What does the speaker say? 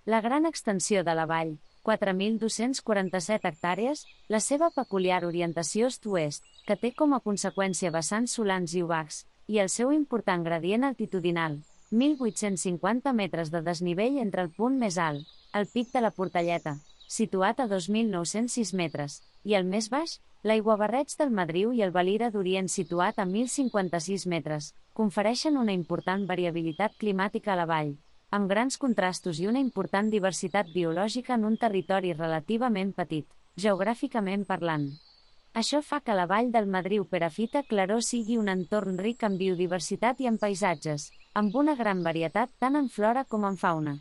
La gran extensió de la vall, 4.247 hectàrees, la seva peculiar orientació est-oest, que té com a conseqüència vessants solans i obacs, i el seu important gradient altitudinal, 1.850 metres de desnivell entre el punt més alt, el Pic de la Portelleta, situat a 2.906 metres, i el més baix, l'Aiguabarreig del Madriu i el Valira d'Orient situat a 1.056 metres, confereixen una important variabilitat climàtica a la vall, amb grans contrastos i una important diversitat biològica en un territori relativament petit, geogràficament parlant. Això fa que la vall del Madriu-Perafita-Claró sigui un entorn ric en biodiversitat i en paisatges, amb una gran varietat tant en flora com en fauna.